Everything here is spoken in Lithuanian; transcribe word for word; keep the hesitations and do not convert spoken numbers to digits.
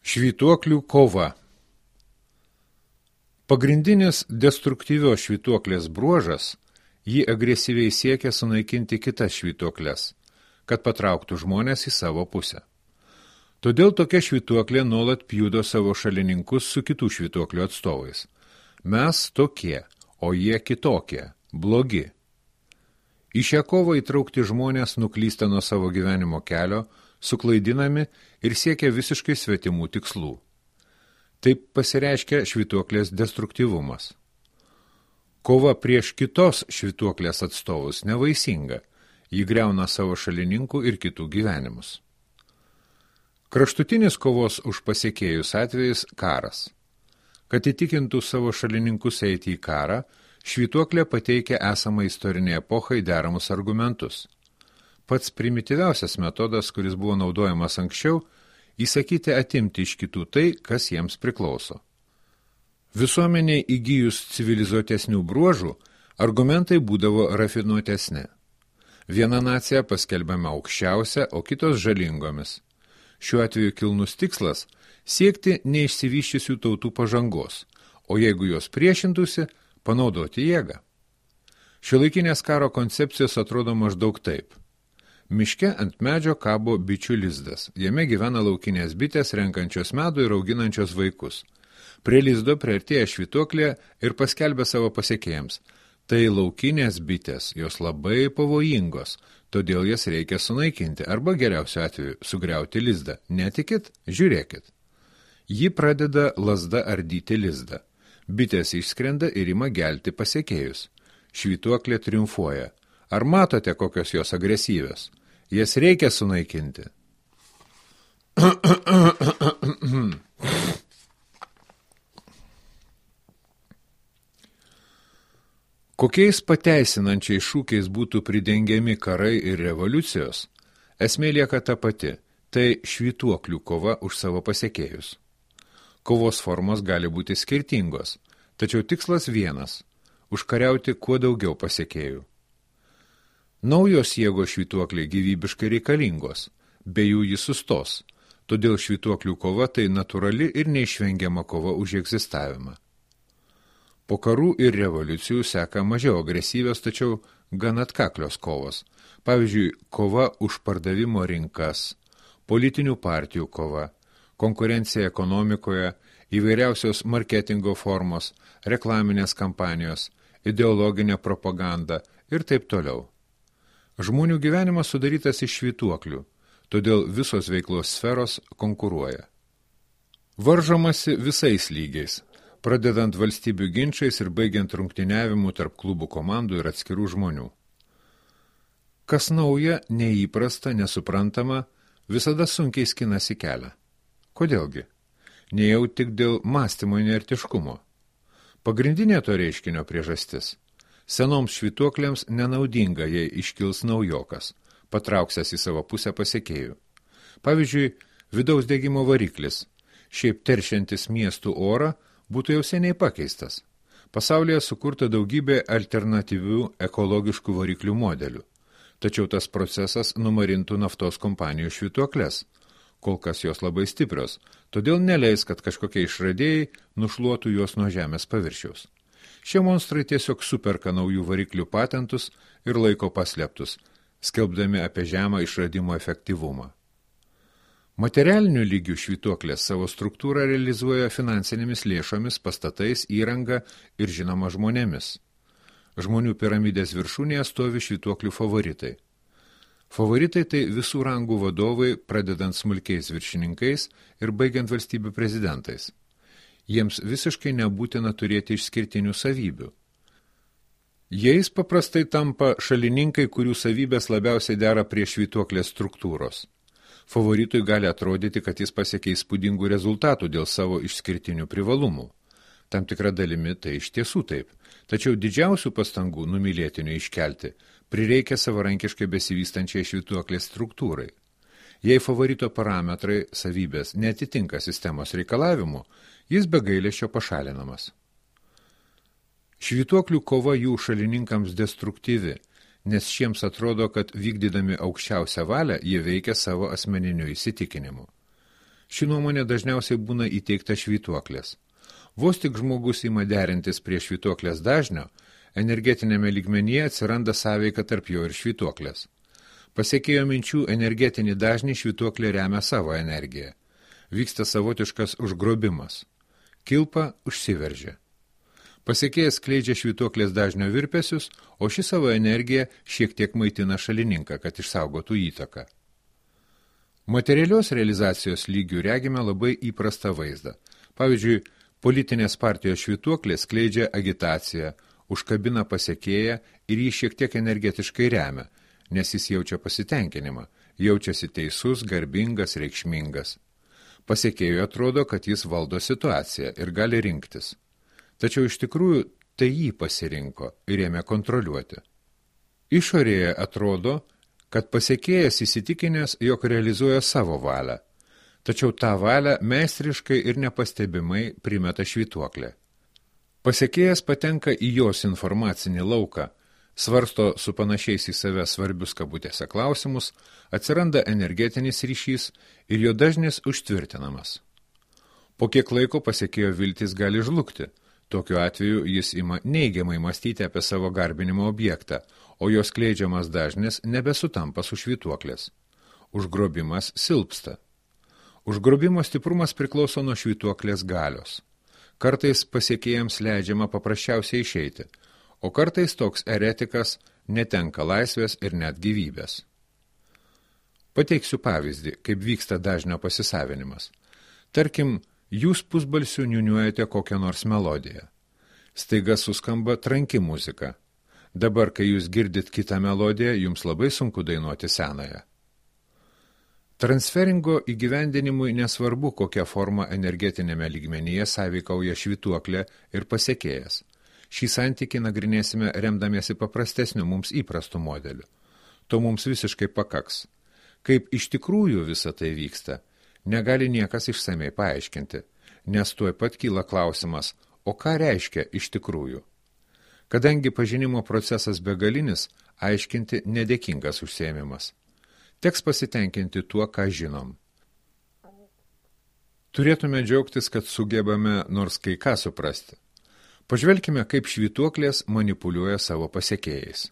Švytuoklių kova. Pagrindinis destruktyvios švytuoklės bruožas – ji agresyviai siekia sunaikinti kitas švytuokles, kad patrauktų žmonės į savo pusę. Todėl tokia švytuoklė nuolat pjudo savo šalininkus su kitų švytuoklių atstovais. Mes tokie, o jie kitokie, blogi. Į šią kovą įtraukti žmonės nuklysta nuo savo gyvenimo kelio, suklaidinami ir siekia visiškai svetimų tikslų. Taip pasireiškia švytuoklės destruktyvumas. Kova prieš kitos švytuoklės atstovus nevaisinga, ji griauna savo šalininkų ir kitų gyvenimus. Kraštutinis kovos už pasiekėjus atvejais – karas. Kad įtikintų savo šalininkus eiti į karą, švytuoklė pateikia esamą istorinį epochai deramus argumentus. Pats primityviausias metodas, kuris buvo naudojamas anksčiau, įsakyti atimti iš kitų tai, kas jiems priklauso. Visuomeniai įgyjus civilizuotesnių bruožų, argumentai būdavo rafinuotesni. Viena nacija paskelbiama aukščiausia, o kitos žalingomis. Šiuo atveju kilnus tikslas – siekti neišsivyščiusių tautų pažangos, o jeigu jos priešintųsi, panaudoti jėgą. Šiuolaikinės karo koncepcijos atrodo maždaug taip. Miške ant medžio kabo bičių lizdas. Jame gyvena laukinės bitės, renkančios medų ir auginančios vaikus. Prie lizdo priartėja švytuoklė ir paskelbė savo pasiekėjams. Tai laukinės bitės, jos labai pavojingos, todėl jas reikia sunaikinti arba geriausiu atveju sugriauti lizdą. Netikit? Žiūrėkit. Ji pradeda lazda ardyti lizdą. Bitės išskrenda ir ima gelti pasiekėjus. Švytuoklė triumfuoja. Ar matote, kokios jos agresyvios? Jas reikia sunaikinti. Kokiais pateisinančiais šūkiais būtų pridengiami karai ir revoliucijos, esmė lieka ta pati – tai švytuoklių kova už savo pasiekėjus. Kovos formos gali būti skirtingos, tačiau tikslas vienas – užkariauti kuo daugiau pasiekėjų. Naujos jėgos švytuokliai gyvybiškai reikalingos, be jų jis sustos, todėl švytuoklių kova tai natūrali ir neišvengiama kova už egzistavimą. Po karų ir revoliucijų seka mažiau agresyvios, tačiau gan atkaklios kovos, pavyzdžiui, kova už pardavimo rinkas, politinių partijų kova, konkurencija ekonomikoje, įvairiausios marketingo formos, reklaminės kampanijos, ideologinė propaganda ir taip toliau. Žmonių gyvenimas sudarytas iš švytuoklių, todėl visos veiklos sferos konkuruoja. Varžomasi visais lygiais, pradedant valstybių ginčais ir baigiant rungtyniavimu tarp klubų komandų ir atskirų žmonių. Kas nauja, neįprasta, nesuprantama, visada sunkiai skinasi kelią. Kodėlgi? Nejau tik dėl mąstymo inertiškumo. Pagrindinė to reiškinio priežastis – senoms švytuoklėms nenaudinga, jei iškils naujokas, patrauksęs į savo pusę pasiekėjų. Pavyzdžiui, vidaus degimo variklis, šiaip teršiantis miestų orą, būtų jau seniai pakeistas. Pasaulyje sukurta daugybė alternatyvių ekologiškų variklių modelių. Tačiau tas procesas numarintų naftos kompanijų švytuokles. Kol kas jos labai stiprios, todėl neleis, kad kažkokie išradėjai nušluotų juos nuo žemės paviršiaus. Šie monstrai tiesiog superka naujų variklių patentus ir laiko paslėptus, skelbdami apie žemą išradimo efektyvumą. Materialinių lygių švytuoklės savo struktūrą realizuoja finansinėmis lėšomis, pastatais, įranga ir žinoma žmonėmis. Žmonių piramidės viršūnėje stovi švytuoklių favoritai. Favoritai tai visų rangų vadovai, pradedant smulkiais viršininkais ir baigiant valstybių prezidentais. Jiems visiškai nebūtina turėti išskirtinių savybių. Jais paprastai tampa šalininkai, kurių savybės labiausiai dera prie švytuoklės struktūros. Favoritui gali atrodyti, kad jis pasiekia įspūdingų rezultatų dėl savo išskirtinių privalumų. Tam tikra dalimi tai iš tiesų taip, tačiau didžiausių pastangų numylėtinių iškelti prireikia savarankiškai besivystančiai švytuoklės struktūrai. Jei favorito parametrai, savybės, neatitinka sistemos reikalavimų, jis be gailesčio pašalinamas. Švytuoklių kova jų šalininkams destruktyvi, nes šiems atrodo, kad vykdydami aukščiausią valią jie veikia savo asmeniniu įsitikinimu. Ši nuomonė dažniausiai būna įteikta švytuoklės. Vos tik žmogus ima derintis prie švytuoklės dažnio, energetinėme lygmenyje atsiranda sąveika tarp jo ir švytuoklės. Pasiekėjo minčių energetinį dažnį švytuoklė remia savo energiją. Vyksta savotiškas užgrobimas. Kilpa užsiveržia. Pasiekėjas skleidžia švytuoklės dažnio virpesius, o ši savo energiją šiek tiek maitina šalininką, kad išsaugotų įtaką. Materialios realizacijos lygių regime labai įprastą vaizdą. Pavyzdžiui, politinės partijos švytuoklė skleidžia agitaciją, užkabina pasiekėją ir jį šiek tiek energetiškai remia, nes jis jaučia pasitenkinimą, jaučiasi teisus, garbingas, reikšmingas. Pasiekėjui atrodo, kad jis valdo situaciją ir gali rinktis. Tačiau iš tikrųjų tai jį pasirinko ir ėmė kontroliuoti. Išorėje atrodo, kad pasiekėjas įsitikinęs, jog realizuoja savo valią, tačiau tą valią meistriškai ir nepastebimai primeta švytuoklė. Pasiekėjas patenka į jos informacinį lauką, svarsto su panašiais į save svarbius kabutėse klausimus, atsiranda energetinis ryšys ir jo dažnis užtvirtinamas. Po kiek laiko pasiekėjo viltis gali žlugti. Tokiu atveju jis ima neigiamai mąstyti apie savo garbinimo objektą, o jos skleidžiamas dažnis nebesutampa su švytuoklės. Užgrobimas silpsta. Užgrobimo stiprumas priklauso nuo švytuoklės galios. Kartais pasiekėjams leidžiama paprasčiausiai išeiti, o kartais toks eretikas netenka laisvės ir net gyvybės. Pateiksiu pavyzdį, kaip vyksta dažnio pasisavinimas. Tarkim, jūs pusbalsiu niuniuojate kokią nors melodiją. Staiga suskamba tranki muzika. Dabar, kai jūs girdit kitą melodiją, jums labai sunku dainuoti senąją. Transferingo įgyvendinimui nesvarbu, kokia forma energetinėme lygmenyje sąveikauja švytuoklė ir pasiekėjas. Šį santykį nagrinėsime remdamiesi paprastesniu mums įprastu modeliu. To mums visiškai pakaks. Kaip iš tikrųjų visa tai vyksta, negali niekas išsamei paaiškinti, nes tuoj pat kyla klausimas, o ką reiškia iš tikrųjų? Kadangi pažinimo procesas begalinis, aiškinti nedėkingas užsiėmimas. Teks pasitenkinti tuo, ką žinom. Turėtume džiaugtis, kad sugebame nors kai ką suprasti. Pažvelkime, kaip švytuoklės manipuliuoja savo pasiekėjais.